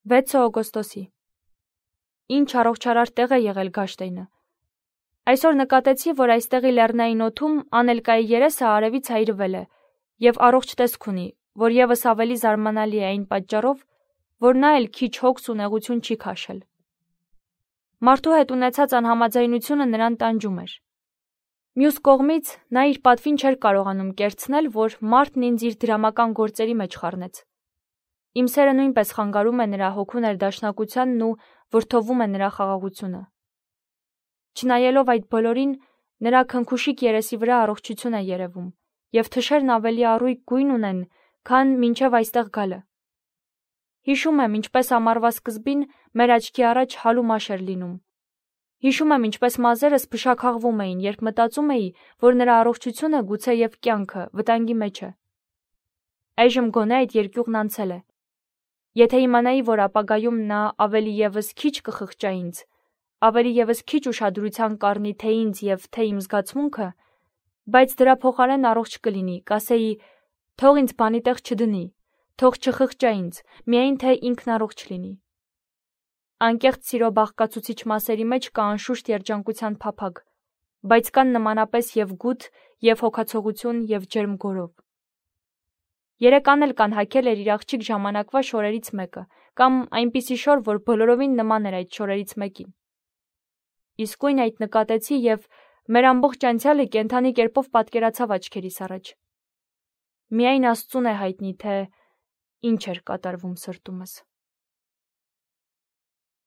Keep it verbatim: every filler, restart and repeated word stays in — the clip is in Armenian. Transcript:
վեցը օգոստոսի։ Ինչ առողջարար տեղ է եղել Գաշտեյնը։ Այսօր նկատեցի, որ այստեղի լեռնային օդում Անելկայի երեսը արևից այրվել է և առողջ տեսք ունի, որ ևս ավելի զարմանալի է այն պատճառով, որ նա էլ քիչ հոգս ու նեղություն չի քաշել։ Մարդու հետ ունեցած անհամաձայնությունը նրան տանջում էր։ Մյուս կողմից նա իր պատվին չէր կարողանում կերցնել, որ մարդն ինձ իր դրամական գործերի մեջ խառնեց։ Իմ սերը նույնպես խանգարում է նրա հոգու ներդաշնակությանն ու վրդովում է նրա խաղաղությունը։ Չնայելով այդ բոլորին, նրա քնքուշիկ երեսի վրա առողջություն է երևում, և թշերն ավելի առույգ գույն ունեն, քան մինչև այստեղ գալը։ Հիշում եմ, ինչպես ամառվա սկզբին մեր աչքի առաջ հալու մաշ էր լինում։ Հիշում եմ, ինչպես մազերս փշաքաղվում էին, երբ մտածում էի, որ նրա առողջությունը գուցե և կյանքը վտանգի մեջ է։ Այժմ գոնե այդ երկյուղն անցել է։ Եթե իմանայի, որ ապագայում նա ավելի ևս քիչ կխղճա ինձ, ավելի ևս քիչ ուշադրության կառնի թե ինձ և թե իմ զգացմունքը, բայց դրա փոխարեն առողջ կլինի, կասեի, թող ինձ բանի տեղ չդնի, թող չխղճա ինձ, միայն թե ինքն առողջ լինի։ Անկեղծ սիրո բաղկացուցիչ մասերի մեջ կա անշուշտ երջանկության փափագ, բայց կան նմանապես և գութ, և հոգացողություն, և ջերմ գորով։ Երեկ Անել կանհագել էր իր աղջիկ ժամանակվա շորերից մեկը, կամ այնպիսի շոր, որ բոլորովին նման էր այդ շորերից մեկին։ Իսկույն այդ նկատեցի և մեր ամբողջ անցյալը կենդանի կերպով պատկերացավ աչքերիս առաջ։ Միայն Աստծուն է հայտնի, թե ինչ էր կատարվում սրտումս։